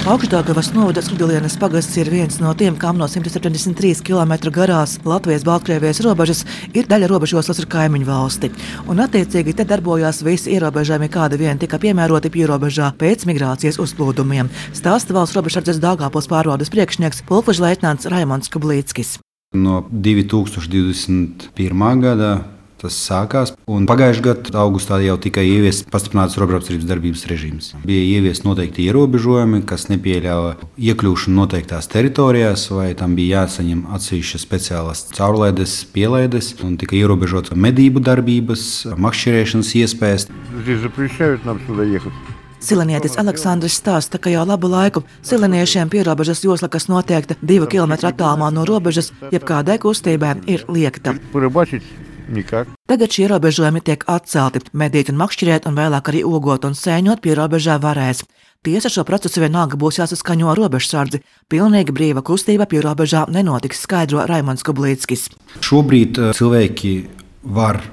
Augšdaugavas novada Skrudilienes pagasts ir viens no tiem, kam no 173 km garās Latvijas-Baltkrievijas robežas ir daļa robežoslas ar kaimiņu valsti. Un attiecīgi te darbojās visi ierobežojumi, kādi vien tika piemēroti pierobežā pēc migrācijas uzplūdumiem. Stāsta valsts robežsardzes Daugavpils pārvaldes priekšnieks pulkvežleitnants Raimonds Kublīckis. No 2021. gada tas sākās, un pagājušajā gadā augustā jau tika ieviests pastiprināts robežapstrības darbības režīms. Bija ieviesti noteikti ierobežojumi, kas nepieļāva iekļūšanu noteiktās teritorijās, vai tam bija jāsaņem atsevišķas speciālas caurlaides, pielaides, un tika ierobežotas medību darbības, makšķerēšanas iespējas. Silenietis Aleksandrs stāsta, ka jau labu laiku sileniešiem pierobežas josla, kas noteikta 2 km attālumā no robežas, jebkādai kustībai ir liegta. Tagad šie ierobežojumi tiek atcelti. Medīt un makšķerēt un vēlāk arī ogot un sēņot pierobežā varēs. Tiesa, šo procesu vienalga būs jāsaskaņo robežsardzi. Pilnīgi brīva kustība pierobežā nenotiks, skaidro Raimonds Kublīckis. Šobrīd cilvēki var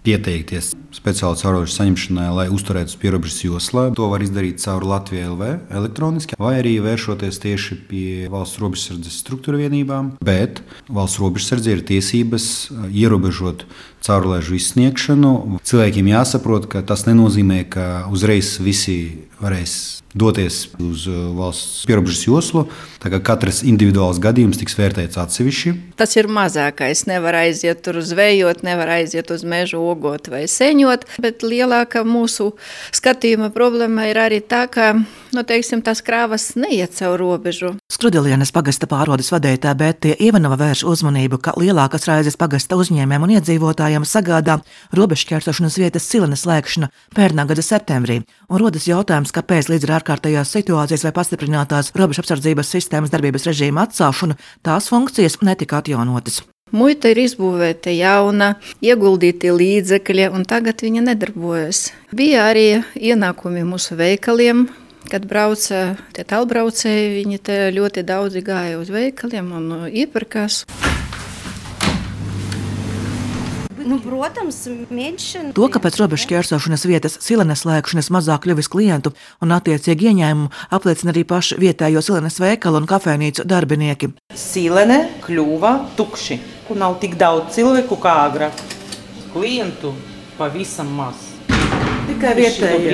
pieteikties speciāli caurrobežu saņemšanai, lai uzturētu uz pierobežas joslā. To var izdarīt caur Latviju LV elektroniski, vai arī vēršoties tieši pie valsts robežsardzes struktūra vienībām. Bet valsts robežsardze ir tiesības ierobežot caurlaižu izsniegšanu. Cilvēkiem jāsaprot, ka tas nenozīmē, ka uzreiz visi varēs doties uz valsts pierobežas joslu. Tā kā katrs individuāls gadījums tiks vērtēts atsevišķi. Tas ir mazākais. Nevar aiziet tur uz vējot, nevar aiziet uz mežu ogot vai seņot, bet lielākā mūsu skatījuma problēma ir arī tā, ka, tās krāvas neiet caur robežu. Skrudilienes pagasta pārvaldes vadītāja Bētija Ivanova vērš uzmanību, ka lielākas raizes pagasta uzņēmējiem un iedzīvotājiem sagādā robežšķērsošanas vietas Silenes slēgšana pērnā gada septembrī. Un rodas jautājums, kāpēc līdz ar ārkārtējās situācijas vai pastiprinātās robežapsardzības sistēmas darbības režīma atcelšanu tās funkcijas netika atjaunotas. Muita ir izbūvēta jauna, ieguldīti līdzekļi, un tagad viņa nedarbojas. Bija arī ienākumi mūsu veikaliem. Kad brauca tie tālbraucēji, viņi te ļoti daudzi gāja uz veikaliem un iepirkās. Protams, mēģināšana. To, ka pēc robežšķērsošanas vietas Silenes slēgšanas mazāk kļuvis klientu un attiecīgi ieņēmumu, apliecina arī paši vietējo Silenes veikalu un kafejnīcu darbinieki. Silene kļuva tukši, un nav tik daudz cilvēku kā agrāk. Klientu pavisam maz. Tikai vietējie.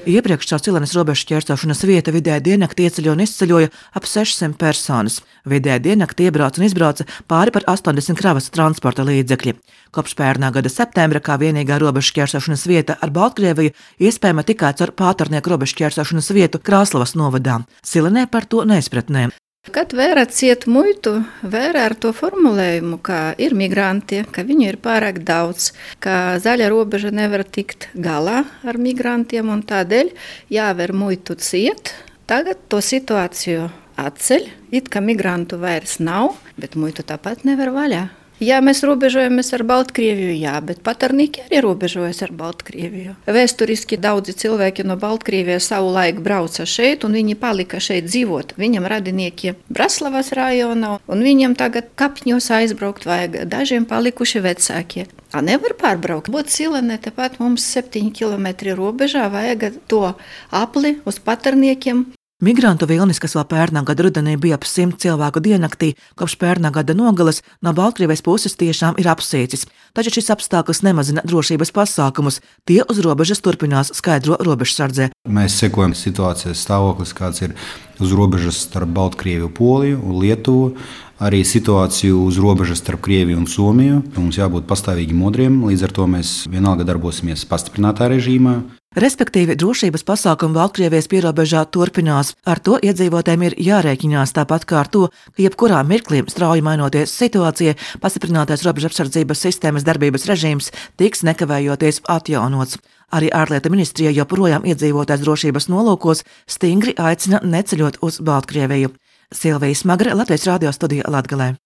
Iepriekš caur Silenes robežšķērsošanas vietu vidēji diennakti ieceļoja un izceļoja ap 600 personas. Vidēji diennakti iebrauca un izbrauca pāri par 80 kravas transporta līdzekļi. Kopš pērnā gada septembra kā vienīgā robežšķērsošanas vieta ar Baltkrieviju iespējama tikai caur Pātarnieku robežšķērsošanas vietu Krāslavas novadā. Silenē par to neizpratnē. Kad vērā ciet muitu, vērā ar to formulējumu, ka ir migranti, ka viņu ir pārāk daudz, ka zaļa robeža nevar tikt galā ar migrantiem un tādēļ jāver muitu ciet. Tagad to situāciju atceļ, it kā migrantu vairs nav, bet muitu tāpat nevar vaļā. Jā, mēs robežojamies ar Baltkrieviju, jā, bet Patarnieki arī robežojas ar Baltkrieviju. Vēsturiski daudzi cilvēki no Baltkrievijas savu laiku brauca šeit, un viņi palika šeit dzīvot. Viņam radinieki Braslavas rajonā, un viņam tagad kapņos aizbraukt vajag. Dažiem palikuši vecākie. Nevar pārbraukt. Būt Silenē, tepat mums 7 km robežā vajag to apli uz Patarniekiem. Migrantu vilnis, kas vēl pērnā gada rudenī bija ap 100 cilvēku diennaktī, kopš pērnā gada nogales no Baltkrievijas puses tiešām ir apsīcis. Taču šis apstākļus nemazina drošības pasākumus. Tie uz robežas turpinās, skaidro robežsardzē. Mēs sekojam situācijas stāvoklis, kāds ir uz robežas starp Baltkrieviju, Poliju un Lietuvu. Arī situāciju uz robežas starp Krieviju un Somiju. Mums jābūt pastāvīgi modriem, līdz ar to mēs vienalga darbosimies pastiprinātā režīmā. Respektīvi, drošības pasākumi Baltkrievijas pierobežā turpinās. Ar to iedzīvotājiem ir jārēķinās, tāpat kā ar to, ka jebkurā mirklī strauji mainoties situācijai, pastiprinātais robežapsardzības sistēmas darbības režīms tiks nekavējoties atjaunots. Arī ārlietu ministrija joprojām iedzīvotājs drošības nolūkos stingri aicina neceļot uz Baltkrieviju. Silvija Smagre, Latvijas radio studija Latgalē.